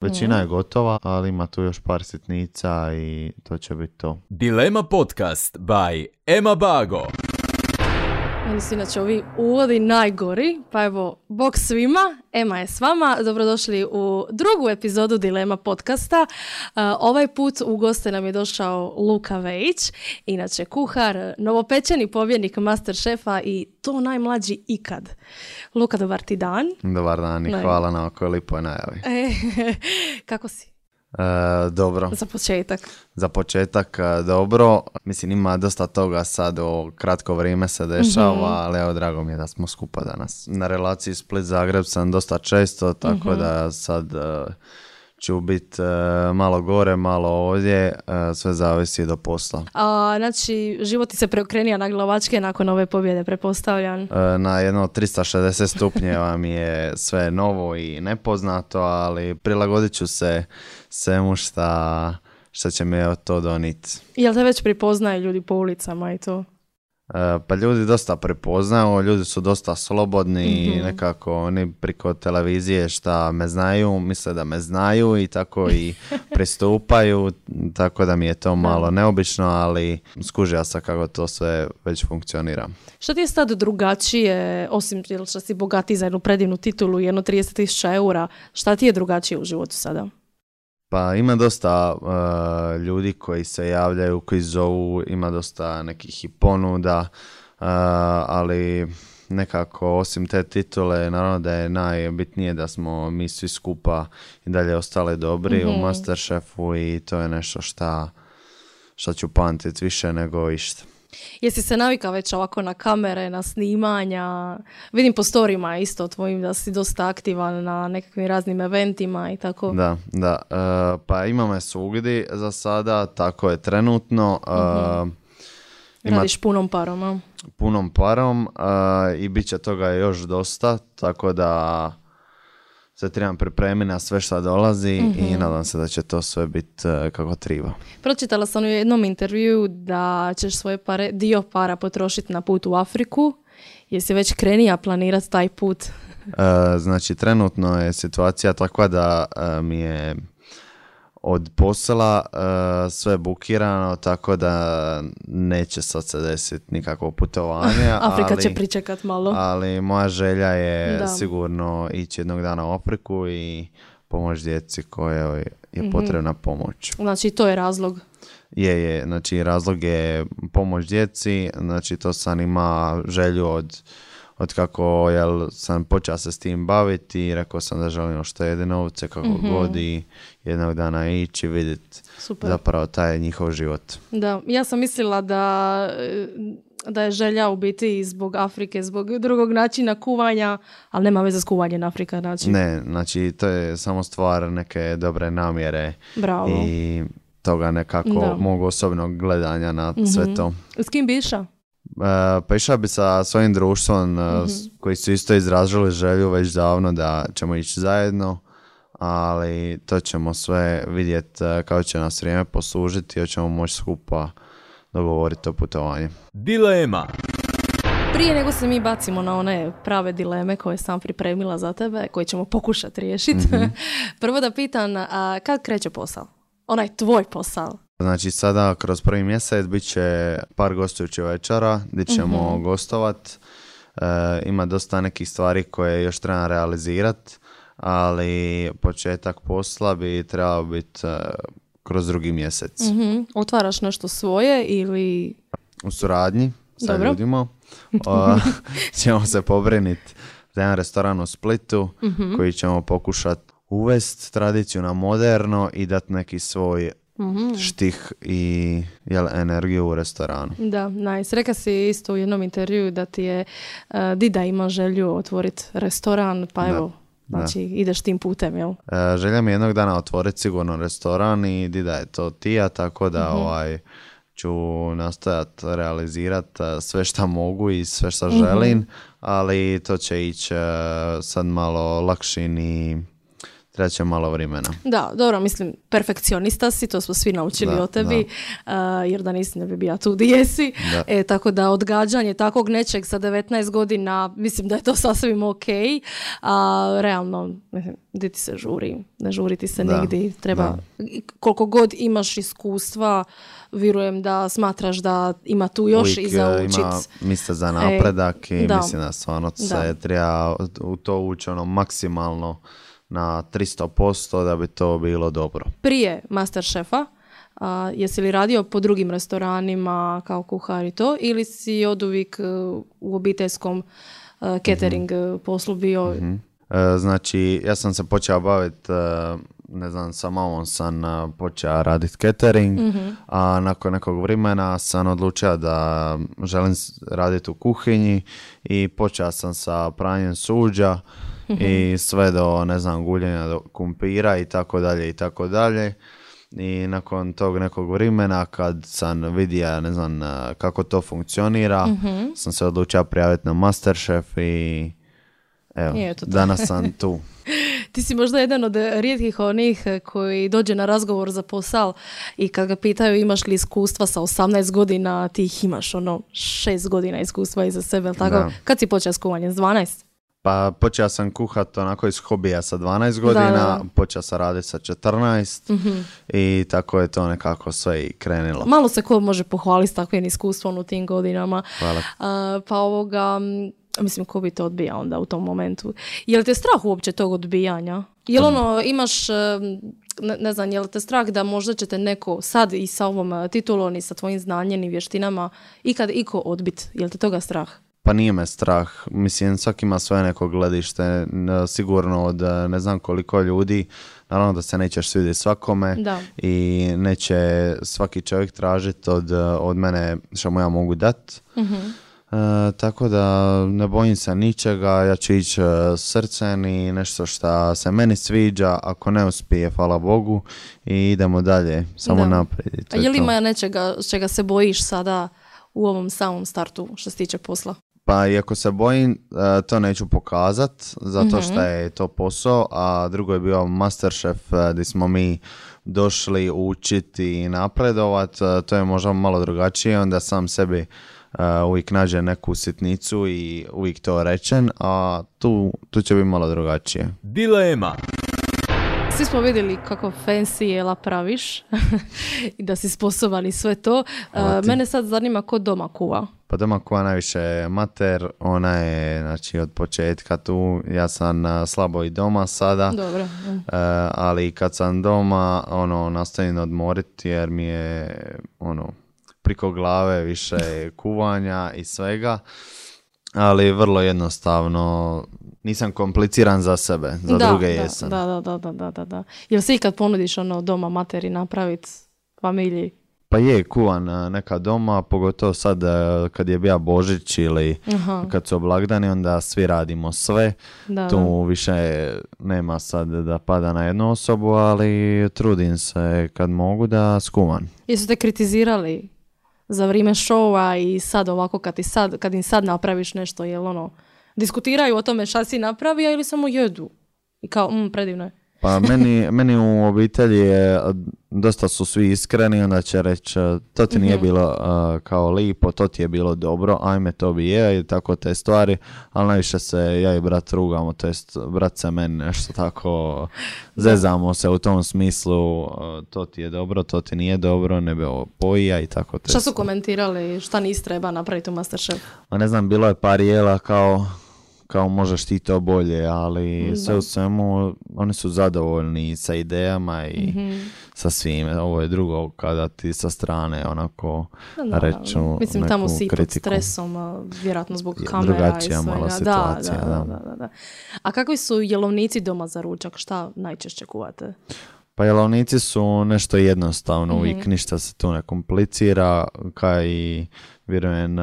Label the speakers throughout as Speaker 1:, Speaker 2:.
Speaker 1: Većina je gotova, ali ima tu još par sitnica i to će biti to.
Speaker 2: Dilema podcast by Ema Bago.
Speaker 3: Meni su inače ovi uvodi najgori, pa evo, bok svima, Ema je s vama, dobrodošli u drugu epizodu Dilema podcasta. Ovaj put u goste nam je došao Luka Vejić, inače kuhar, novopečeni pobjednik Masterchefa i to najmlađi ikad. Luka, dobar ti dan.
Speaker 1: Dobar dan i hvala na ovakvoj lipoj najavi.
Speaker 3: Kako si?
Speaker 1: Dobro. Za početak dobro. Mislim, ima dosta toga sad, o kratko vrijeme se dešava, ali evo, drago mi je da smo skupa danas. Na relaciji Split-Zagreb sam dosta često, tako da sad ću biti malo gore, malo ovdje, sve zavisi do posla.
Speaker 3: Znači, život ti se preokrenija na glavačke nakon ove pobjede, pretpostavljam?
Speaker 1: Na jedno 360 stupnjeva mi je sve novo i nepoznato, ali prilagodit ću se svemu šta će mi to doniti.
Speaker 3: Jel te već prepoznaju ljudi po ulicama i to?
Speaker 1: Pa ljudi dosta prepoznaju, ljudi su dosta slobodni i nekako oni preko televizije šta me znaju, misle da me znaju i tako i pristupaju, tako da mi je to malo neobično, ali skužio sam kako to sve već funkcionira.
Speaker 3: Što ti je sad drugačije, osim što si bogati za jednu predivnu titulu i jedno 30.000 eura, šta ti je drugačije u životu sada?
Speaker 1: Pa ima dosta ljudi koji se javljaju, koji zovu, ima dosta nekih i ponuda, ali nekako osim te titule, naravno da je najbitnije da smo mi svi skupa i dalje ostali dobri u Masterchefu i to je nešto šta ću pamtiti više nego išta.
Speaker 3: Jesi se navikao već ovako na kamere, na snimanja? Vidim po storijima isto tvojim da si dosta aktivan na nekakvim raznim eventima i tako.
Speaker 1: Da. Pa ima me svugdje za sada, tako je trenutno.
Speaker 3: Radiš punom parom, a?
Speaker 1: Punom parom i bit će toga još dosta, tako da se trebam pripremiti na sve što dolazi i nadam se da će to sve biti kako treba.
Speaker 3: Pročitala sam u jednom intervjuu da ćeš svoje dio para potrošiti na put u Afriku. Jesi već krenija planirati taj put?
Speaker 1: Znači, trenutno je situacija takva da mi je od posla sve bukirano, tako da neće sad se desiti nikakvo putovanje.
Speaker 3: Afrika će pričekat malo.
Speaker 1: Ali moja želja je sigurno ići jednog dana u Afriku i pomoći djeci kojoj je potrebna pomoć.
Speaker 3: Znači, to je razlog?
Speaker 1: Je. Znači, razlog je pomoć djeci. Znači, to sam ima želju od kako sam počeo se s tim baviti i rekao sam da želim uštediti novce kako god i jednog dana ići vidjeti zapravo taj njihov život. Da,
Speaker 3: ja sam mislila da je želja u biti zbog Afrike, zbog drugog načina kuvanja, ali nema veze s kuvanjem Afrika. Znači.
Speaker 1: Ne, znači to je samo stvar neke dobre namjere.
Speaker 3: Bravo.
Speaker 1: I toga nekako mog osobnog gledanja na sve to.
Speaker 3: S kim bi išao?
Speaker 1: Pa išao bi sa svojim društvom koji su isto izrazili želju već davno da ćemo ići zajedno, ali to ćemo sve vidjeti kako će nas vrijeme poslužiti i hoćemo moći skupa dogovoriti to putovanje.
Speaker 2: Dilema.
Speaker 3: Prije nego se mi bacimo na one prave dileme koje sam pripremila za tebe, koje ćemo pokušati riješiti, prvo da pitam, kad kreće posao? Onaj tvoj posao.
Speaker 1: Znači sada kroz prvi mjesec bit će par gostujućih večera gdje ćemo gostovat. Ima dosta nekih stvari koje još treba realizirati, ali početak posla bi trebao biti kroz drugi mjesec.
Speaker 3: Otvaraš nešto svoje ili...
Speaker 1: U suradnji sa ljudima ćemo se pobriniti za jedan restoran u Splitu koji ćemo pokušati uvesti tradiciju na moderno i dati neki svoj štih i energiju u restoranu.
Speaker 3: Da, nice. Reka si isto u jednom intervjuu da ti je Dida ima želju otvoriti restoran, pa evo, znači ideš tim putem, jel?
Speaker 1: Želja mi jednog dana otvoriti sigurno restoran i Dida je to tija, tako da ću nastojati realizirati sve što mogu i sve što želim, ali to će ići sad malo lakšim i treba će malo vremena.
Speaker 3: Da, dobro, mislim, perfekcionista si, to smo svi naučili o tebi, jer da nisi ne bi bio tu gdje jesi. Tako da odgađanje takvog nečeg sa 19 godina, mislim da je to sasvim ok, a realno, gdje ti se žuri, ne žuri ti se nigdje, treba, koliko god imaš iskustva, vjerujem da smatraš da ima tu još
Speaker 1: uvijek
Speaker 3: i za učit.
Speaker 1: Ima mjesta za napredak i mislim da stvarno se treba u to ući maksimalno na 300% da bi to bilo dobro.
Speaker 3: Prije Masterchefa, jesi li radio po drugim restoranima kao kuhar i to, ili si oduvijek u obiteljskom catering poslu bio?
Speaker 1: Znači, ja sam se počeo baviti, ne znam, sa mamom sam počeo raditi catering, a nakon nekog vremena sam odlučio da želim raditi u kuhinji i počeo sam sa pranjem suđa i sve do, ne znam, guljenja do kumpira i tako dalje i tako dalje. I nakon tog nekog vremena kad sam vidio, ne znam, kako to funkcionira, sam se odlučio prijaviti na Masterchef i evo, danas sam tu.
Speaker 3: Ti si možda jedan od rijetkih onih koji dođe na razgovor za posao i kad ga pitaju imaš li iskustva sa 18 godina, ti ih imaš 6 godina iskustva iza sebe, tako? Da. Kad si počeo s kuvanjem? S 12?
Speaker 1: Pa počeo sam kuhati onako iz hobija sa 12 godina, počeo sam raditi sa 14 i tako je to nekako sve i krenilo.
Speaker 3: Malo se ko može pohvaliti s takvim iskustvom u tim godinama.
Speaker 1: Hvala.
Speaker 3: Pa mislim, ko bi to odbijao onda u tom momentu? Je li te strah uopće tog odbijanja? Je li imaš, ne znam, je li te strah da možda će te neko sad i sa ovom titulom i sa tvojim znanjem i vještinama ikad iko odbit? Je li te toga strah?
Speaker 1: Pa nije me strah. Mislim, svaki ima svoje neko gledište. Sigurno od ne znam koliko ljudi. Naravno da se nećeš svidjeti svakome i neće svaki čovjek tražiti od mene što mu ja mogu dati. Tako da ne bojim se ničega, ja ću ići srcem i nešto što se meni sviđa, ako ne uspije, hvala Bogu, i idemo dalje, samo naprijed.
Speaker 3: A je li ima nečega čega se bojiš sada u ovom samom startu što se tiče posla?
Speaker 1: Pa iako se bojim, to neću pokazat, zato što je to posao, a drugo je bio Masterchef gdje smo mi došli učiti i napredovat, to je možda malo drugačije, onda sam sebi uvijek nađe neku sitnicu i uvijek to rečen, a tu će biti malo drugačije.
Speaker 2: Dilema.
Speaker 3: Svi smo vidjeli kako fancy jela praviš i da si sposoban i sve to. Mene sad zanima ko doma kuva.
Speaker 1: Pa doma kuva najviše mater, ona je znači, od početka tu, ja sam slabo i doma sada.
Speaker 3: Dobro.
Speaker 1: Ali kad sam doma, nastavim odmoriti jer mi je priko glave više kuvanja i svega, ali vrlo jednostavno, nisam kompliciran za sebe, za druge jesam.
Speaker 3: Da. Jel se ikad ponudiš doma materi napraviti familiji?
Speaker 1: Pa je, kuvan neka doma, pogotovo sad kad je bio Božić ili kad su blagdani, onda svi radimo sve. Tu više nema sad da pada na jednu osobu, ali trudim se kad mogu da skuvam.
Speaker 3: Jesu te kritizirali za vrijeme šova i sad ovako kad im sad napraviš nešto, jel diskutiraju o tome šta si napravio ili samo jedu? I kao, predivno je.
Speaker 1: Pa meni u obitelji je, dosta su svi iskreni, onda će reći to ti nije bilo kao lipo, to ti je bilo dobro, ajme to bi je i tako te stvari, ali najviše se ja i brat rugamo, to jest brat se meni nešto tako zezamo se u tom smislu, to ti je dobro, to ti nije dobro, ne bi ovo pojija i tako te.
Speaker 3: Šta su komentirali, šta nisi treba napraviti u Masterchef?
Speaker 1: Ne znam, bilo je par jela kao možeš ti to bolje, ali sve u svemu oni su zadovoljni sa idejama i sa svime. Ovo je drugo kada ti sa strane onako reču
Speaker 3: mislim, tamo si
Speaker 1: kritiku.
Speaker 3: Pod stresom, vjerojatno zbog kamera
Speaker 1: drugačija
Speaker 3: i svega.
Speaker 1: Mala situacija,
Speaker 3: da. A kakvi su jelovnici doma za ručak? Šta najčešće kuvate?
Speaker 1: Pa jelovnici su nešto jednostavno, uvijek ništa se tu ne komplicira, kao i vjerujem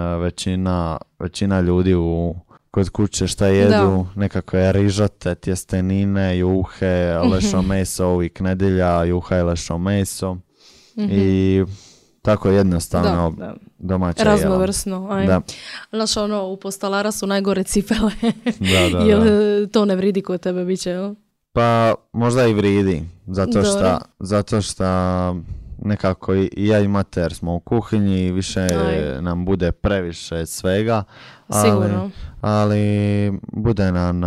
Speaker 1: većina ljudi kod kuće šta jedu, nekakve rižote, tjestenine, juhe, lešo meso, uvijek nedjelja, juha i lešo meso. I tako jednostavno domaća jela.
Speaker 3: Raznovrsno. Znaš, u postalara su najgore cipele.
Speaker 1: Da.
Speaker 3: Jel to ne vridi kod tebe biće, jel?
Speaker 1: Pa možda i vridi,
Speaker 3: Dobro.
Speaker 1: zato šta nekako i ja i mater smo u kuhinji i više
Speaker 3: Aj.
Speaker 1: nam bude previše svega,
Speaker 3: Sigurno.
Speaker 1: ali bude nam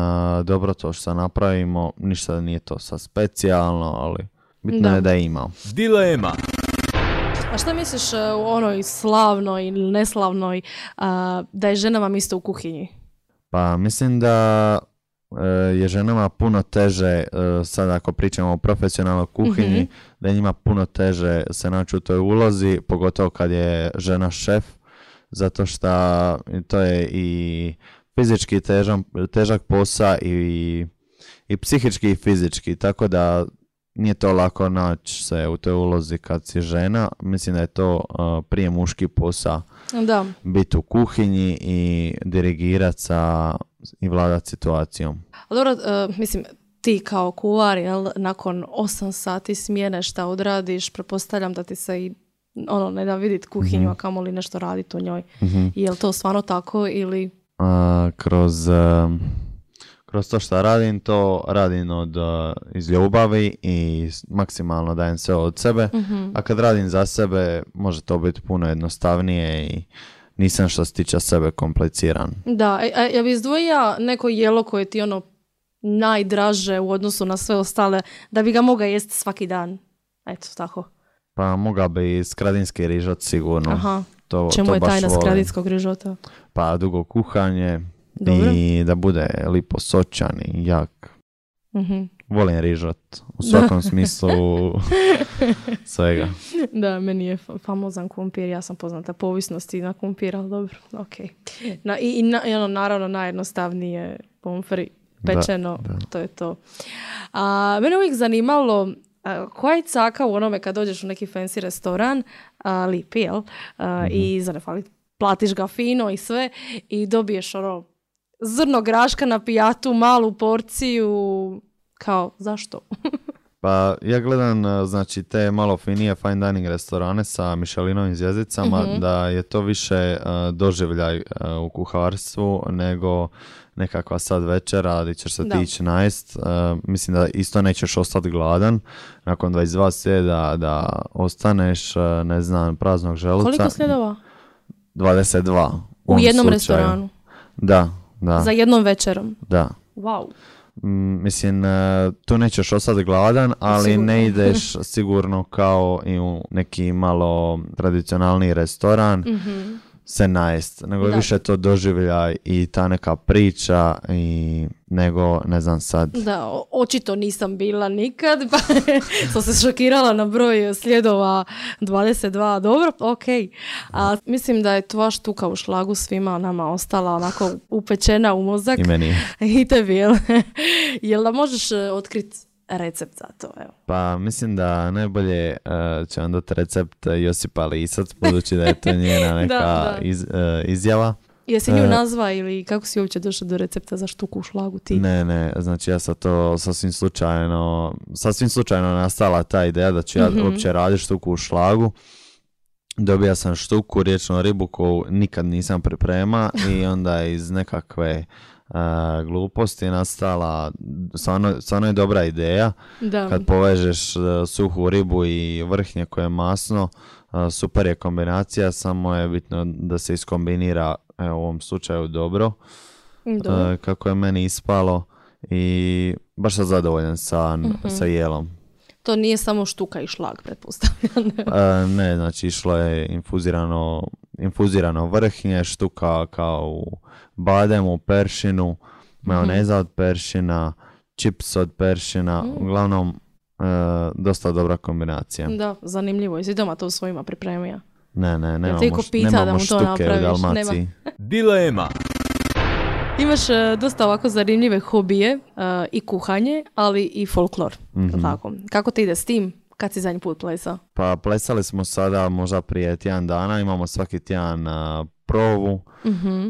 Speaker 1: dobro to što napravimo, ništa nije to sad specijalno, ali bitno
Speaker 3: Da.
Speaker 1: je da ima.
Speaker 2: Dilema.
Speaker 3: A šta misliš u onoj slavnoj ili neslavnoj da je ženama mjesto u kuhinji?
Speaker 1: Pa mislim da je ženama puno teže, sad ako pričamo o profesionalnoj kuhinji, da je njima puno teže se naći u toj ulozi, pogotovo kad je žena šef, zato što to je i fizički težak posao i psihički i fizički, tako da nije to lako naći se u toj ulozi kad si žena. Mislim da je to prije muški posao,
Speaker 3: Da.
Speaker 1: biti u kuhinji i dirigirati i vladati situacijom.
Speaker 3: A dobro, mislim, ti kao kuvar, jel, nakon 8 sati smjene šta odradiš, pretpostavljam da ti se i ne da vidjeti kuhinju, a kamoli nešto raditi u njoj. Je li to stvarno tako ili...
Speaker 1: Kroz to što radim, to radim iz ljubavi i maksimalno dajem sve od sebe, a kad radim za sebe može to biti puno jednostavnije i nisam što se tiče sebe kompliciran.
Speaker 3: Da, ja bi izdvojila neko jelo koje ti najdraže u odnosu na sve ostale, da bi ga mogao jesti svaki dan. Eto, tako.
Speaker 1: Pa mogao bi skradinski rižot sigurno.
Speaker 3: Aha.
Speaker 1: To
Speaker 3: Čemu je
Speaker 1: baš
Speaker 3: tajna
Speaker 1: volim.
Speaker 3: skradinskog rižota?
Speaker 1: Pa dugo kuhanje.
Speaker 3: Dobro.
Speaker 1: I da bude lipo sočan i jak.
Speaker 3: Mhm.
Speaker 1: Volim rižot u svakom smislu svega.
Speaker 3: Da, meni je famozan kumpir, ja sam poznata po ovisnosti na kumpir, ali dobro, ok. Naravno najjednostavnije pomfri pečeno,
Speaker 1: Da.
Speaker 3: to je to. Mene uvijek zanimalo koja je caka u onome kad dođeš u neki fancy restoran, lipi, jel? I za ne fali, platiš ga fino i sve i dobiješ zrno graška na pijatu, malu porciju, kao, zašto?
Speaker 1: Pa ja gledam znači te malo finije fine dining restorane sa Michelinovim zvjezdicama, da je to više doživljaj u kuharstvu nego nekakva sad večera gdje ćeš se tići najest. Mislim da isto nećeš ostati gladan nakon 22 sjeda da ostaneš, ne znam, praznog želuca.
Speaker 3: Koliko sljedova?
Speaker 1: 22.
Speaker 3: U jednom
Speaker 1: slučaju.
Speaker 3: restoranu?
Speaker 1: Da.
Speaker 3: Za jednom večerom?
Speaker 1: Da.
Speaker 3: Wow.
Speaker 1: Mislim, tu nećeš ostati gladan, ali
Speaker 3: Sigurno.
Speaker 1: ne ideš sigurno kao i u neki malo tradicionalni restoran se najest, nego je više to doživljaj i ta neka priča nego, ne znam sad.
Speaker 3: Da, očito nisam bila nikad, pa sam se šokirala na broj sljedova 22, dobro, ok. Mislim da je tvoja štuka u šlagu svima nama ostala onako upečena u mozak.
Speaker 1: I meni.
Speaker 3: I tebi, jel? Jel da možeš otkriti recept za to, evo?
Speaker 1: Pa mislim da najbolje će vam dati recept Josipa Lisac, budući da je to njena neka izjava.
Speaker 3: Jesi nju nazva ili kako si uopće došao do recepta za štuku u šlagu ti?
Speaker 1: Ne, znači ja sam to sasvim slučajno nastala ta ideja da ću ja uopće raditi štuku u šlagu. Dobija sam štuku, riječnu ribu koju nikad nisam priprema i onda iz nekakve gluposti je nastala, stvarno je dobra ideja. Da. Kad povežeš suhu ribu i vrhnje koje je masno, super je kombinacija, samo je bitno da se iskombinira u ovom slučaju dobro. Kako je meni ispalo i baš sam zadovoljan sa jelom.
Speaker 3: To nije samo štuka i šlag, pretpostavljam.
Speaker 1: Ne, znači išlo je infuzirano vrhnje, štuka kao u bademu, peršinu, majoneza od peršina, čips od peršina, uglavnom dosta dobra kombinacija.
Speaker 3: Da, zanimljivo. Jesi doma to svojima pripremio?
Speaker 1: Ne, nemamo štuke u Dalmaciji.
Speaker 2: Dilema.
Speaker 3: Imaš dosta ovako zanimljive hobije i kuhanje, ali i folklor. Tako. Kako ti ide s tim? Kad si zadnji put plesao?
Speaker 1: Pa plesali smo sada možda prije tjedan dana, imamo svaki tjedan probu,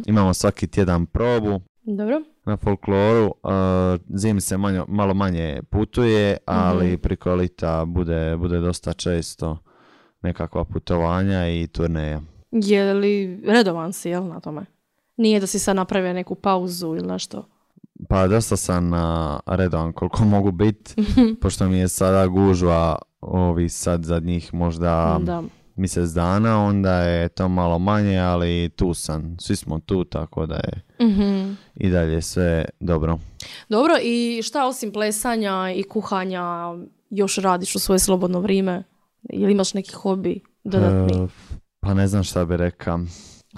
Speaker 1: imamo svaki tjedan probu.
Speaker 3: Dobro.
Speaker 1: Na folkloru zimi se malo manje putuje, ali preko lita bude dosta često nekakva putovanja i turneja.
Speaker 3: Je li redovan si, jel, na tome? Nije da si sad napravio neku pauzu ili nešto?
Speaker 1: Pa dosta sam redovan koliko mogu biti, pošto mi je sada gužva ovi sad zadnjih možda mjesec dana, onda je to malo manje, ali tu sam. Svi smo tu, tako da je i dalje sve dobro.
Speaker 3: Dobro, i šta osim plesanja i kuhanja još radiš u svoje slobodno vrijeme? Ili imaš neki hobi dodatni?
Speaker 1: Pa ne znam šta bi rekao.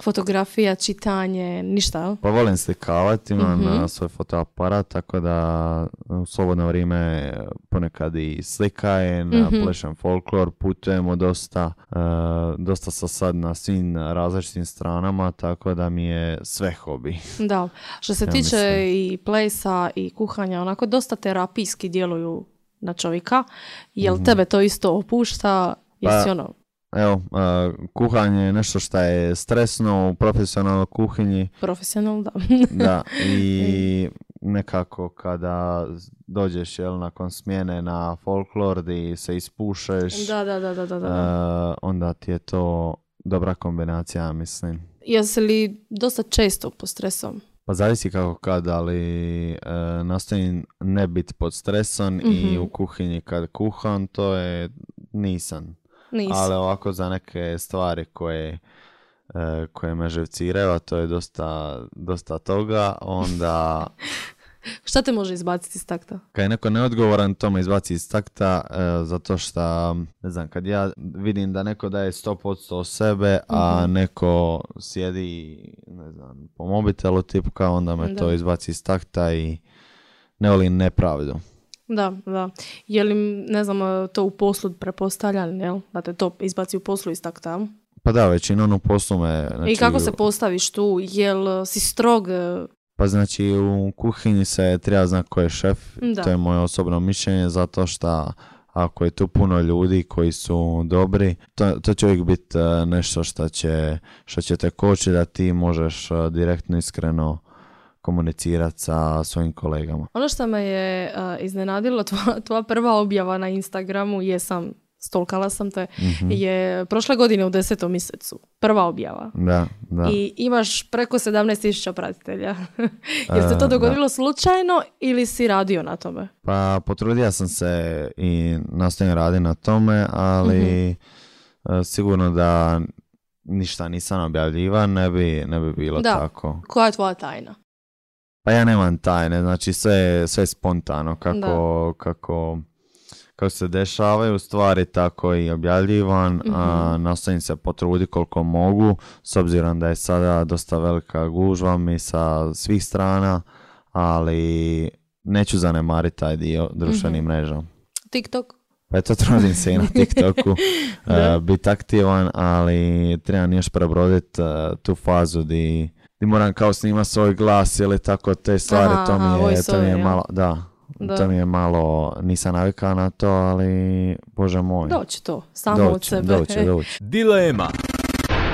Speaker 3: Fotografija, čitanje, ništa, jel?
Speaker 1: Pa volim slikavati, imam svoj fotoaparat, tako da u slobodno vrijeme ponekad i slikajem, plešem folklor, putujemo dosta, dosta sam sad na svim različitim stranama, tako da mi je sve hobi. Da,
Speaker 3: što se tiče i plesa i kuhanja, onako dosta terapijski djeluju na čovjeka. Jel tebe to isto opušta? Jesi ono...
Speaker 1: Evo, kuhanje je nešto što je stresno u profesionalnoj kuhinji.
Speaker 3: Profesionalno, da.
Speaker 1: Da, i nekako kada dođeš nakon smjene na folklor gdje se ispušeš, onda ti je to dobra kombinacija, mislim.
Speaker 3: Jesi li dosta često pod stresom?
Speaker 1: Pa zavisi kako kad, ali nastojim ne biti pod stresom i u kuhinji kad kuham, to je nisam. Ali ovako za neke stvari koje me živciraju, a to je dosta toga, onda...
Speaker 3: Šta te može izbaciti iz takta?
Speaker 1: Kad je neko neodgovoran, to me izbaci iz takta, zato što, ne znam, kad ja vidim da neko daje 100% sebe, a neko sjedi, ne znam, po mobitelu tipka, onda me to izbaci iz takta i ne volim nepravdu.
Speaker 3: Da. Je li, ne znam, to u poslu prepostavljan, jel? Da te to izbaci u poslu iz takta?
Speaker 1: Pa da, većinom u poslu me... Znači,
Speaker 3: i kako se postaviš tu? Jel si strog?
Speaker 1: Pa znači u kuhinji se treba znati ko je šef. To je moje osobno mišljenje, zato što ako je tu puno ljudi koji su dobri, to će uvijek biti nešto što će te kočiti da ti možeš direktno, iskreno komunicirati sa svojim kolegama.
Speaker 3: Ono što me je iznenadilo, tvoja prva objava na Instagramu, stalkala sam te, je prošle godine u 10. mjesecu. Prva objava.
Speaker 1: Da.
Speaker 3: I imaš preko 17.000 pratitelja. Je se to dogodilo slučajno ili si radio na tome?
Speaker 1: Pa potrudio sam se i nastojim raditi na tome, ali sigurno da ništa nisam objavljivan, ne bi bilo tako.
Speaker 3: Koja je tvoja tajna?
Speaker 1: Pa ja nemam tajne, znači sve je spontano kako se dešavaju stvari, tako i objavljivan, nastojim se potruditi koliko mogu, s obzirom da je sada dosta velika gužva mi sa svih strana, ali neću zanemariti taj dio društvenih mreža.
Speaker 3: TikTok?
Speaker 1: Pa eto, trudim se i na TikToku biti aktivan, ali trebam još prebroditi tu fazu di moram kao snimati svoj glas ili tako te stvari, to mi je malo, to mi je malo, nisam navikao na to, ali Bože moj.
Speaker 3: Doći to, samo od sebe.
Speaker 1: Doći.
Speaker 2: Dilema.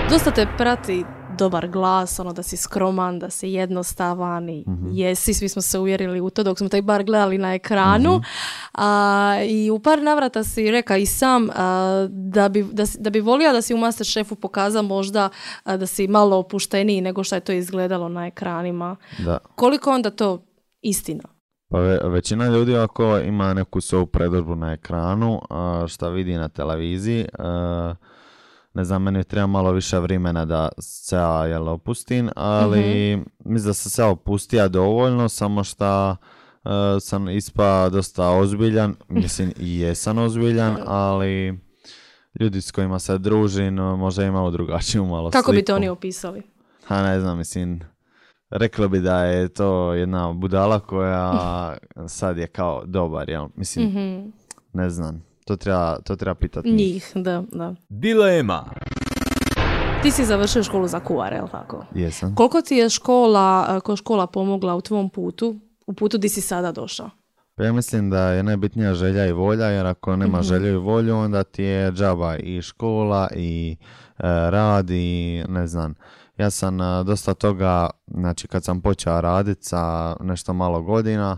Speaker 3: Dosta te prati dobar glas, da si skroman, da si jednostavan i jesi, svi smo se uvjerili u to dok smo taj bar gledali na ekranu. I u par navrata si rekao i sam da bi volio da si u Masterchefu pokazao možda da si malo opušteniji nego što je to izgledalo na ekranima.
Speaker 1: Da.
Speaker 3: Koliko onda to istina?
Speaker 1: Pa većina ljudi ako ima neku svoju predodžbu na ekranu, šta vidi na televiziji, ne znam, meni treba malo više vremena da se opustim, ali mislim da sam se opustio dovoljno, samo što sam ispao dosta ozbiljan, mislim i jesam ozbiljan, ali ljudi s kojima se družim možda imaju drugačiju malo
Speaker 3: Kako
Speaker 1: sliku.
Speaker 3: bi to oni opisali?
Speaker 1: Ne znam, mislim, reklo bi da je to jedna budala koja sad je kao dobar, jel? Mislim, ne znam. To treba pitati
Speaker 3: njih. Da.
Speaker 2: Dilema.
Speaker 3: Ti si završio školu za kuhara, je li tako?
Speaker 1: Jesam.
Speaker 3: Koliko ti je škola pomogla u tvom putu di si sada došao?
Speaker 1: Pa ja mislim da je najbitnija želja i volja, jer ako nema želju i volju, onda ti je džaba i škola i rad i ne znam. Ja sam dosta toga, znači kad sam počeo raditi sa nešto malo godina,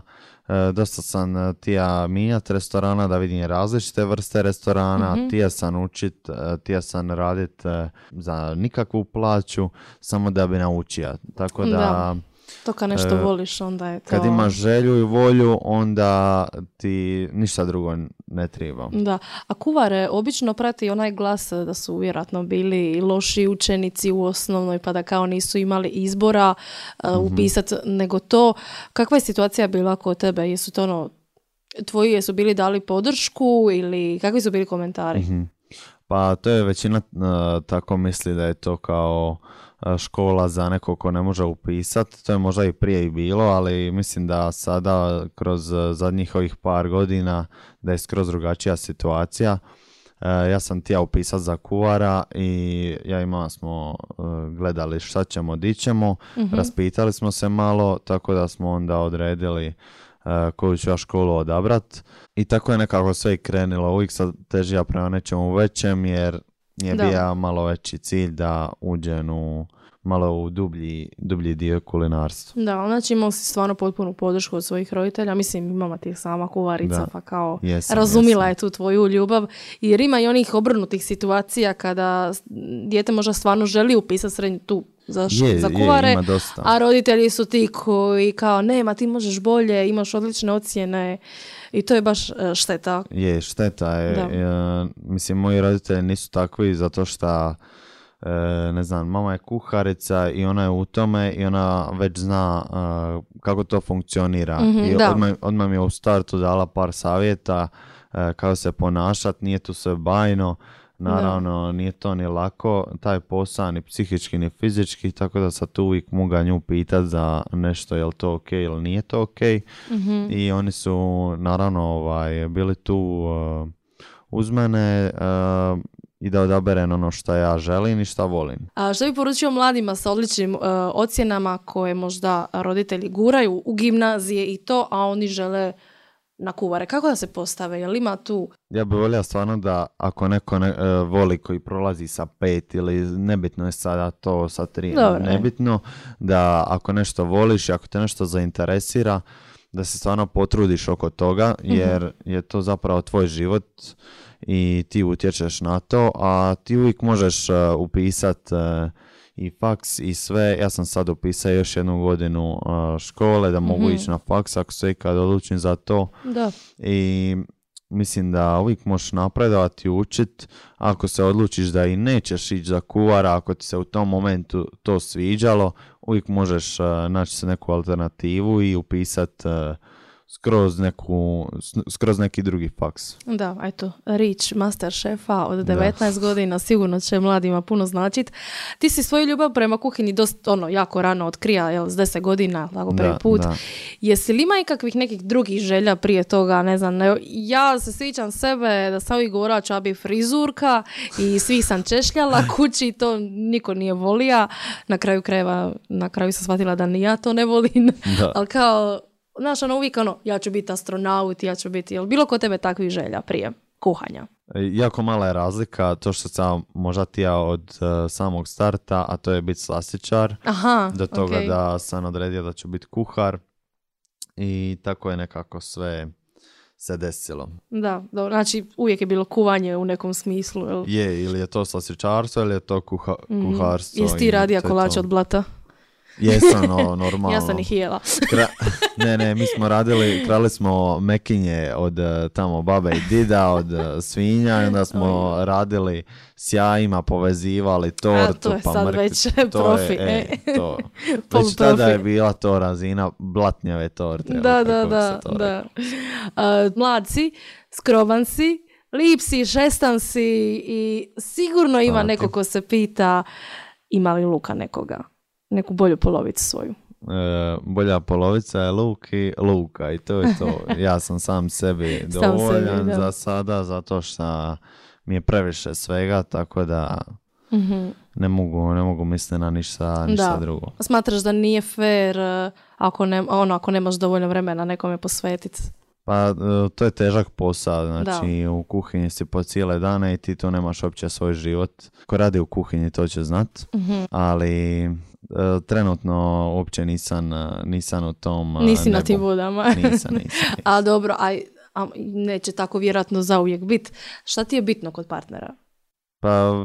Speaker 1: dosta sam tija mijenjati restorana da vidim različite vrste restorana, tija sam učit, tija sam radit za nikakvu plaću, samo da bi naučio. Tako da
Speaker 3: To kad nešto voliš, onda je to...
Speaker 1: Kad imaš želju i volju, onda ti ništa drugo ne treba.
Speaker 3: Da, a kuvare obično prati onaj glas da su vjerojatno bili loši učenici u osnovnoj, pa da kao nisu imali izbora upisati, nego to. Kakva je situacija bila kod tebe? Jesu to ono, tvoji jesu bili dali podršku ili kakvi su bili komentari?
Speaker 1: Pa to je većina tako misli da je to kao škola za nekog ko ne može upisati. To je možda i prije i bilo, ali mislim da sada kroz zadnjih ovih par godina da je skroz drugačija situacija. Ja sam htio upisati za kuvara i ja i mama smo gledali šta ćemo, di ćemo. Raspitali smo se malo, tako da smo onda odredili koju ću ja školu odabrat. I tako je nekako sve i krenulo. Uvijek sad težija prema nečemu većem jer je bio malo veći cilj da uđem malo u dublji dio kulinarstva.
Speaker 3: Da, znači imao si stvarno potpunu podršku od svojih roditelja. Mislim, mama ti je sama kuvarica, pa kao razumila je tu tvoju ljubav. Jer ima i onih obrnutih situacija kada dijete možda stvarno želi upisati srednju tu za kuvare, a roditelji su ti koji kao nema, ti možeš bolje, imaš odlične ocjene i to je baš šteta.
Speaker 1: Je, šteta je. Mislim, moji roditelji nisu takvi zato što ne znam, mama je kuharica i ona je u tome i ona već zna kako to funkcionira. I odmah mi je u startu dala par savjeta kako se ponašati, nije tu sve bajno. Naravno, nije to ni lako, taj posao, ni psihički, ni fizički, tako da sad tu uvijek mogu nju pitati za nešto, je li to ok ili nije to ok. I oni su, naravno, bili tu uz mene i da odaberem ono što ja želim i što volim.
Speaker 3: A što bi poručio mladima sa odličnim ocjenama koje možda roditelji guraju u gimnazije i to, a oni žele na kuvare? Kako da se postave? Jel ima tu?
Speaker 1: Ja bih volio stvarno da ako neko voli koji prolazi sa 5 ili nebitno je sada to sa 3,
Speaker 3: Dobre.
Speaker 1: Nebitno da ako nešto voliš i ako te nešto zainteresira, da se stvarno potrudiš oko toga jer je to zapravo tvoj život i ti utječeš na to, a ti uvijek možeš upisati i faks i sve. Ja sam sad upisao još 1 godinu škole da mogu ići na faks ako se ikad odlučim za to.
Speaker 3: Da.
Speaker 1: I mislim da uvijek možeš napredovati i učiti. Ako se odlučiš da i nećeš ići za kuvara, ako ti se u tom momentu to sviđalo, uvijek možeš naći se neku alternativu i upisati skroz neki drugi faks.
Speaker 3: Da, eto, Rič, master šefa od 19 godina, sigurno će mladima puno značiti. Ti si svoju ljubav prema kuhinji jako rano otkrija, s 10 godina, tako prvi put. Da. Jesi li ima ikakvih nekih drugih želja prije toga, ne znam, ja se sjećam sebe da sam uvijek govorila ću ja bi frizurka i svih sam češljala kući, to niko nije volija. Na kraju sam shvatila da ni ja to ne volim, ali kao znaš, uvijek ja ću biti astronaut, ja ću biti, jel bilo kod tebe takvih želja prije kuhanja?
Speaker 1: Jako mala je razlika, to što sam možda tija od samog starta, a to je biti slastičar, do toga da sam odredio da ću biti kuhar i tako je nekako sve se desilo. Da,
Speaker 3: znači uvijek je bilo kuvanje u nekom smislu. Jel?
Speaker 1: Je, ili je to slastičarstvo ili je to kuharstvo.
Speaker 3: Jesi ti radija kolače od blata?
Speaker 1: Jesam, normalno.
Speaker 3: Ja sam ih jela.
Speaker 1: Mi smo krali smo mekinje od tamo babe i dida, od svinja i onda smo radili s jajima, povezivali tortu.
Speaker 3: To je sad već profi.
Speaker 1: Već tada je bila to razina blatnjave torte.
Speaker 3: Da. Mlad si, skroman si, lip si, šestan si i sigurno ima neko ko se pita ima li Luka nekoga? Neku bolju polovicu svoju.
Speaker 1: Bolja polovica je Luka i to je to. Ja sam sam sebi dovoljan za sada, zato što mi je previše svega, tako da ne mogu misliti na ništa drugo.
Speaker 3: Smatraš da nije fair ako nemaš dovoljno vremena nekome posvetiti?
Speaker 1: Pa to je težak posao, znači u kuhinji si po cijele dane i ti to nemaš uopće svoj život. Ko radi u kuhinji to će znat, ali trenutno uopće nisam u tom
Speaker 3: Nisi
Speaker 1: nebu.
Speaker 3: Na tim vodama.
Speaker 1: Nisam.
Speaker 3: A dobro, a neće tako vjerojatno zauvijek biti. Šta ti je bitno kod partnera?
Speaker 1: Pa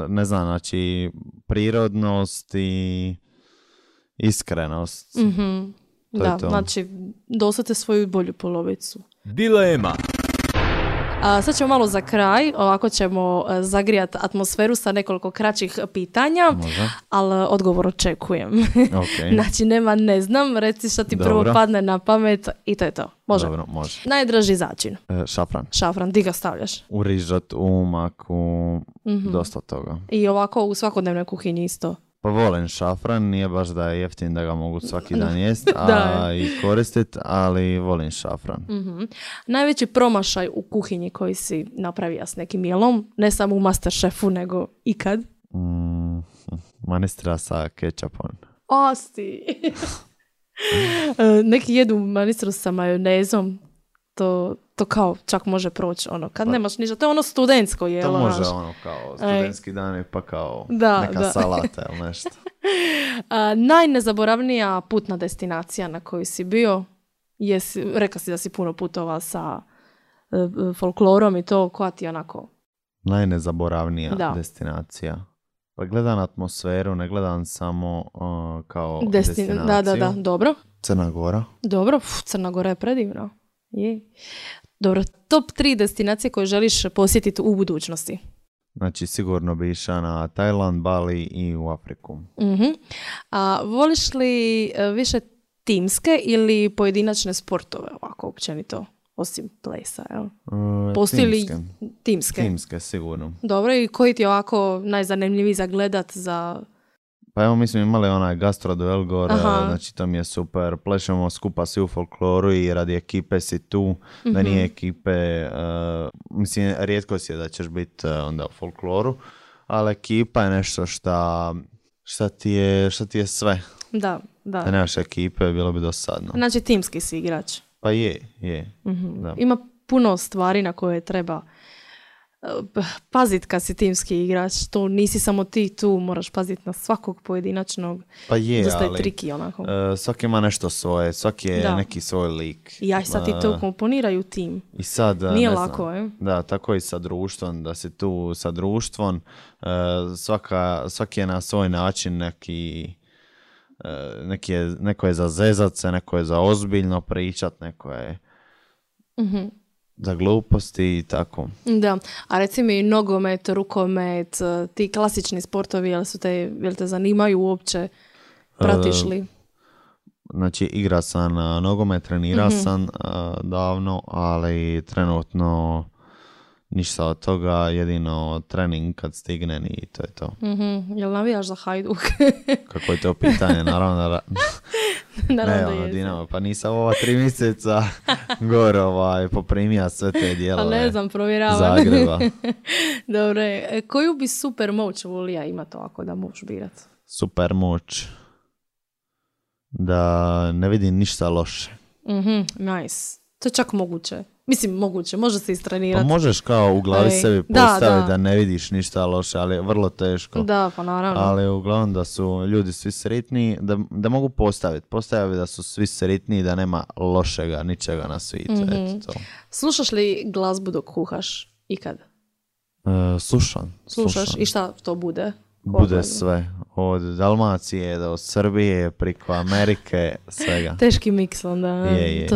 Speaker 1: ne znam, znači prirodnost Iskrenost. To
Speaker 3: Da,
Speaker 1: je to.
Speaker 3: znači dosate svoju bolju polovicu.
Speaker 2: Dilema.
Speaker 3: Sad ćemo malo za kraj, ovako ćemo zagrijati atmosferu sa nekoliko kraćih pitanja,
Speaker 1: Može.
Speaker 3: ali odgovor očekujem.
Speaker 1: Ok.
Speaker 3: Znači nema ne znam, reci što ti prvo
Speaker 1: Dobro.
Speaker 3: padne na pamet i to je to. Može.
Speaker 1: Dobro, može.
Speaker 3: Najdraži začin.
Speaker 1: Šafran.
Speaker 3: Šafran, di ga stavljaš?
Speaker 1: U rižot, u maku, dosta toga.
Speaker 3: I ovako u svakodnevnoj kuhinji isto.
Speaker 1: Pa volim šafran, nije baš da je jeftin da ga mogu svaki dan jest,
Speaker 3: Da.
Speaker 1: i koristit, ali volim šafran.
Speaker 3: Najveći promašaj u kuhinji koji si napravio s nekim jelom, ne samo u Masterchefu, nego ikad.
Speaker 1: Manistra sa kečapom.
Speaker 3: Osti! Neki jedu manistru sa majonezom, to kao čak može proći, ono, kad nemaš ništa, to je ono studentsko jelo.
Speaker 1: To može
Speaker 3: znaš.
Speaker 1: ono kao studentski dan pa kao
Speaker 3: Da,
Speaker 1: neka
Speaker 3: da.
Speaker 1: salata ili nešto.
Speaker 3: Najnezaboravnija putna destinacija na kojoj si bio, rekao si da si puno putovao sa folklorom i to, koja ti je onako...
Speaker 1: Najnezaboravnija
Speaker 3: Da.
Speaker 1: destinacija. Pa gledam atmosferu, ne gledam samo kao
Speaker 3: Da,
Speaker 1: destinaciju.
Speaker 3: dobro.
Speaker 1: Crna Gora.
Speaker 3: Dobro, Crna Gora je predivna. Je. Dobro, top 3 destinacije koje želiš posjetiti u budućnosti.
Speaker 1: Znači sigurno bi išao na Tajland, Bali i u Afriku.
Speaker 3: A voliš li više timske ili pojedinačne sportove, ovako općenito, osim plesa, jel? Postoji li timske?
Speaker 1: Timske, sigurno.
Speaker 3: Dobro, i koji ti je ovako najzanimljiviji za gledat za...
Speaker 1: Pa evo mi smo imali onaj gastroduel gore,
Speaker 3: Aha.
Speaker 1: znači to mi je super. Plešemo skupa svi u folkloru i radi ekipe si tu, da nije ekipe, mislim rijetko si je da ćeš biti onda u folkloru, ali ekipa je nešto šta ti je sve.
Speaker 3: Da.
Speaker 1: Da nemaš ekipe, bilo bi dosadno.
Speaker 3: Znači timski si igrač.
Speaker 1: Pa je. Da.
Speaker 3: Ima puno stvari na koje treba pazit kad si timski igrač. To nisi samo ti tu, moraš paziti na svakog pojedinačnog.
Speaker 1: Pa je,
Speaker 3: dosta je
Speaker 1: ali
Speaker 3: triki onako.
Speaker 1: svaki ima nešto svoje, svaki je
Speaker 3: Da.
Speaker 1: neki svoj lik.
Speaker 3: I ja sad ti to komponiraju tim.
Speaker 1: I sad,
Speaker 3: Nije
Speaker 1: ne
Speaker 3: lako,
Speaker 1: znam, da, tako i sa društvom, da si tu sa društvom, svaki je na svoj način neko je za zezat se, neko je za ozbiljno pričat, neko je za gluposti i tako.
Speaker 3: Da, a reci mi nogomet, rukomet, ti klasični sportovi, jel te zanimaju uopće? Pratiš li?
Speaker 1: Znači, igra sam nogomet, trenira sam davno, ali trenutno ništa od toga, jedino trening kad stignem i to je to.
Speaker 3: Jel navijaš za Hajduk?
Speaker 1: Kako je to pitanje, naravno da...
Speaker 3: Naravno
Speaker 1: Ne,
Speaker 3: da jesi.
Speaker 1: Dinamo, pa nisam ova 3 mjeseca gore poprimija sve te dijelove
Speaker 3: Pa ne znam, provjeravam.
Speaker 1: Zagreba.
Speaker 3: Dobro, koju bi super moć volija imati ovako da možeš birat?
Speaker 1: Super moć da ne vidim ništa loše.
Speaker 3: Nice. To je čak moguće. Mislim, moguće, može se
Speaker 1: Pa
Speaker 3: istrenirati.
Speaker 1: možeš kao u glavi sebi
Speaker 3: da,
Speaker 1: postaviti
Speaker 3: da.
Speaker 1: da ne vidiš ništa loše, ali je vrlo teško.
Speaker 3: Da, pa naravno.
Speaker 1: Ali uglavnom da su ljudi svi sretni, da mogu postaviti da su svi sretni, da nema lošega, ničega na svijetu. Eto to.
Speaker 3: Slušaš li glazbu dok kuhaš? Ikad?
Speaker 1: Slušam.
Speaker 3: Slušaš? I šta to bude?
Speaker 1: Bude sve. Od Dalmacije do Srbije, preko Amerike, svega.
Speaker 3: Teški miks onda.
Speaker 1: Je.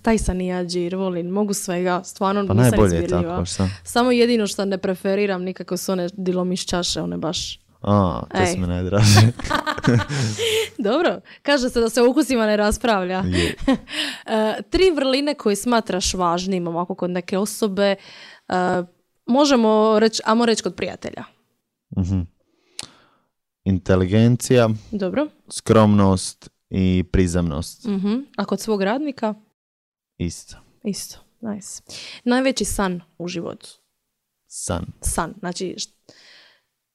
Speaker 3: Taj sam i ja džir, volim. Mogu svega, stvarno
Speaker 1: Pa
Speaker 3: nisam
Speaker 1: najbolje je
Speaker 3: izbirljiva.
Speaker 1: tako, šta?
Speaker 3: Samo jedino što ne preferiram nikako su one dilomišćaše, one baš...
Speaker 1: To
Speaker 3: Ej.
Speaker 1: su mi najdraže.
Speaker 3: Dobro, kaže se da se o ukusima ne raspravlja.
Speaker 1: Je.
Speaker 3: 3 vrline koje smatraš važnim ovako kod neke osobe, možemo reći, ajmo reći kod prijatelja.
Speaker 1: Inteligencija,
Speaker 3: Dobro.
Speaker 1: skromnost i prizemnost.
Speaker 3: A kod svog radnika?
Speaker 1: Isto.
Speaker 3: Isto, nice. Najveći san u životu?
Speaker 1: San.
Speaker 3: Znači,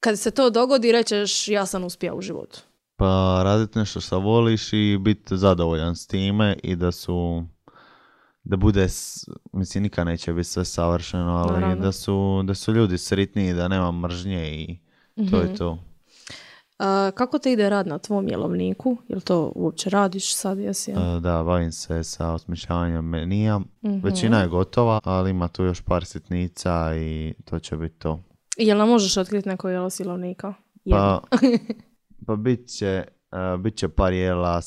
Speaker 3: kad se to dogodi, rećeš ja sam uspio u životu.
Speaker 1: Pa raditi nešto što voliš i biti zadovoljan s time i da bude, mislim nikad neće biti sve savršeno, ali
Speaker 3: Naravno.
Speaker 1: da su ljudi sretniji, da nema mržnje i to je to.
Speaker 3: Kako te ide rad na tvom jelovniku? Jel to uopće radiš sad? Jesi?
Speaker 1: Da, bavim se sa osmišljavanjem menija. Većina je gotova, ali ima tu još par sitnica i to će biti to.
Speaker 3: Jel nam možeš otkriti neko jelo s jelovnika?
Speaker 1: Pa bit će bit će par jela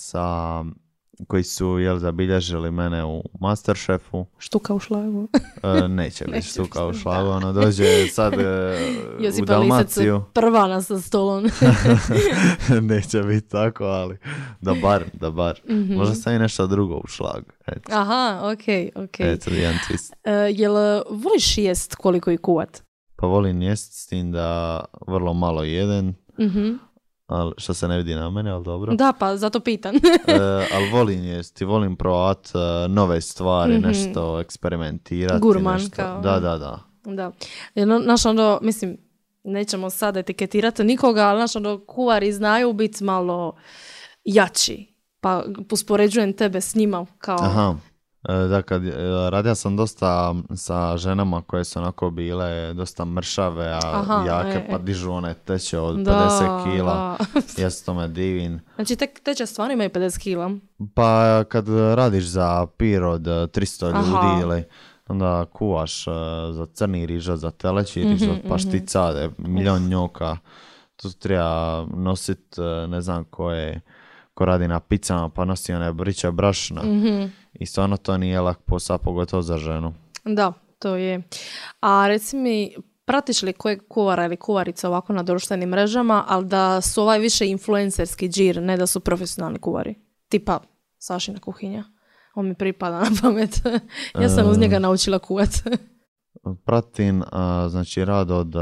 Speaker 1: koji su zabilježili mene u Masterchefu.
Speaker 3: Štuka u šlagu.
Speaker 1: Neće biti štuka u šlagu, ono dođe sad u
Speaker 3: Josipa Lisac
Speaker 1: Dalmaciju.
Speaker 3: prva nas sa stolom.
Speaker 1: Neće biti tako, ali da bar. Možda sam i nešto drugo u šlagu. Eto.
Speaker 3: Aha, okej.
Speaker 1: Eto, jedan twist.
Speaker 3: Jel voliš jest koliko i kuvat?
Speaker 1: Pa volim jest s tim da vrlo malo jedem, ali što se ne vidi na mene, ali dobro.
Speaker 3: Da, pa zato pitan.
Speaker 1: Ali volim jest i volim provat nove stvari, nešto eksperimentirati.
Speaker 3: Gurman
Speaker 1: nešto.
Speaker 3: kao.
Speaker 1: Da.
Speaker 3: Da. Znaš, onda, mislim, nećemo sad etiketirati nikoga, ali znaš, onda kuvari znaju biti malo jači. Pa uspoređujem tebe s njima kao...
Speaker 1: Aha. Da, radio sam dosta sa ženama koje su onako bile dosta mršave, a jake, pa dižu one teče od 50 kila. Ja se tome divim.
Speaker 3: Znači teče stvarno imaju 50 kila?
Speaker 1: Pa kad radiš za pir od 300 ljudi ili onda kuvaš za crni riža, za teleći riža, pašticade, milion njoka. Tu treba nosit, ne znam ko radi na pizzama, pa nosi one briče brašna. I stvarno to nije lak posao, pogotovo za ženu.
Speaker 3: Da, to je. A reci mi, pratiš li kojeg kuvara ili kuvarica ovako na društvenim mrežama, ali da su ovaj više influencerski džir, ne da su profesionalni kuvari? Tipa Sašina kuhinja. On mi pripada na pamet. Ja sam uz njega naučila kuvat.
Speaker 1: Pratim, znači rad od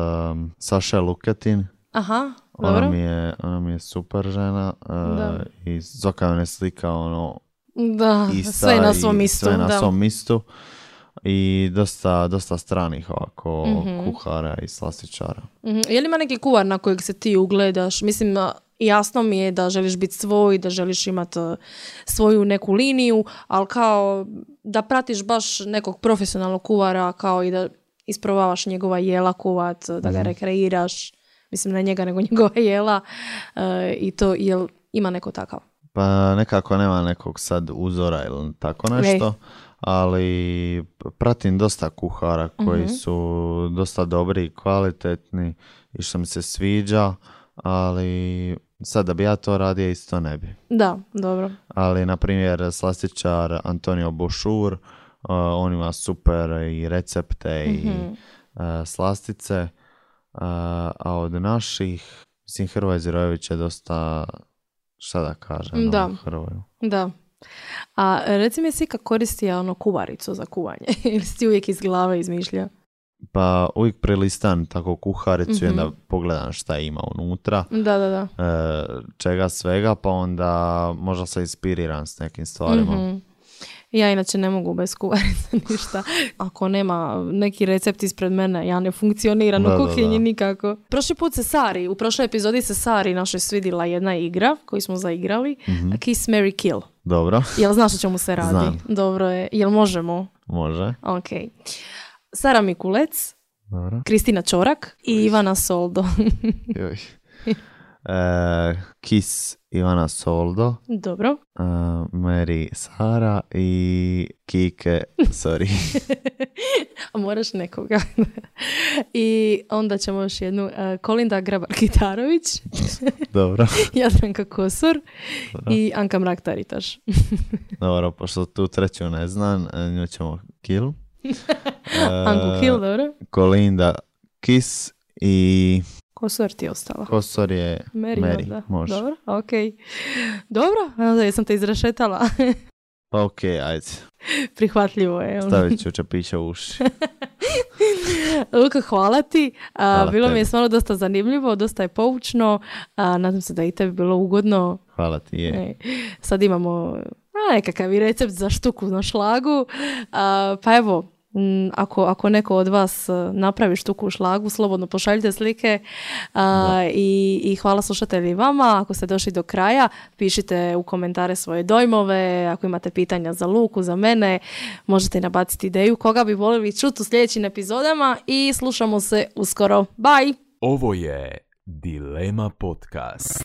Speaker 1: Saše Luketin.
Speaker 3: Aha, dobro.
Speaker 1: Ona mi je super žena. I Zoka me slika
Speaker 3: da, sve na svom mistu.
Speaker 1: Sve na svom mistu. I dosta stranih ovako kuhara i slastičara.
Speaker 3: Je li ima neki kuvar na kojeg se ti ugledaš? Mislim, jasno mi je da želiš biti svoj, da želiš imati svoju neku liniju, ali kao da pratiš baš nekog profesionalnog kuvara, kao i da isprobavaš njegova jela kuvat, da ga rekreiraš. Mislim, ne njega, nego njegova jela. I to, jel ima neko takav?
Speaker 1: Pa nekako nema nekog sad uzora ili tako nešto, ali pratim dosta kuhara koji su dosta dobri i kvalitetni i što mi se sviđa, ali sad da bi ja to radio isto ne bi.
Speaker 3: Da, dobro.
Speaker 1: Ali na primjer slastičar Antonio Bošur, on ima super i recepte i slastice, a od naših, mislim, Hrvoje Zirojević je dosta, šta da kažem, Hrvoju.
Speaker 3: Da. A reci mi, si kako koristi kuvaricu za kuvanje? Ili si ti uvijek iz glave izmišlja?
Speaker 1: Pa uvijek prelistam tako kuharicu i onda pogledam šta ima unutra.
Speaker 3: Da.
Speaker 1: Čega svega, pa onda možda se inspiriram s nekim stvarima.
Speaker 3: Ja inače ne mogu bez kuvarice ništa. Ako nema neki recept ispred mene, ja ne funkcioniram u kuhinji nikako. Prošli put u prošloj epizodi se Sari našoj svidila jedna igra koju smo zaigrali. Kiss, Marry, Kill.
Speaker 1: Dobro.
Speaker 3: Jel znaš o čemu se radi?
Speaker 1: Znam.
Speaker 3: Dobro je. Jel možemo?
Speaker 1: Može.
Speaker 3: Ok. Sara Mikulec,
Speaker 1: dobro.
Speaker 3: Kristina Čorak i Ivana Soldo.
Speaker 1: Kiss Ivana Soldo.
Speaker 3: Dobro.
Speaker 1: Mary Sara i Kike, sorry.
Speaker 3: A moraš nekoga. I onda ćemo još jednu. Kolinda Grabar-Kitarović.
Speaker 1: Dobro.
Speaker 3: Jadranka Kosor. Dobro. I Anka Mrak-Taritaš.
Speaker 1: Dobro, pošto tu treću ne znam, nju ćemo Kill.
Speaker 3: Anku Kill, dobro.
Speaker 1: Kolinda Kiss i...
Speaker 3: Kosor ti je ostala.
Speaker 1: Kosor je Mary. Može.
Speaker 3: Dobro, ok. Dobro, jesam te izrešetala.
Speaker 1: Pa ok, ajde.
Speaker 3: Prihvatljivo je.
Speaker 1: Stavit ću čepića u uši.
Speaker 3: Luka, hvala ti. Bilo mi je stvarno dosta zanimljivo, dosta je poučno. Nadam se da i tebi bilo ugodno.
Speaker 1: Hvala ti, je.
Speaker 3: Sad imamo nekakav i recept za štuku na šlagu. Pa evo, ako neko od vas napravi štuku u šlagu, slobodno pošaljite slike i hvala slušatelji vama. Ako ste došli do kraja, pišite u komentare svoje dojmove. Ako imate pitanja za Luku, za mene, možete nabaciti ideju koga bi voljeli čuti u sljedećim epizodama i slušamo se uskoro. Bye!
Speaker 2: Ovo je Dilema Podcast.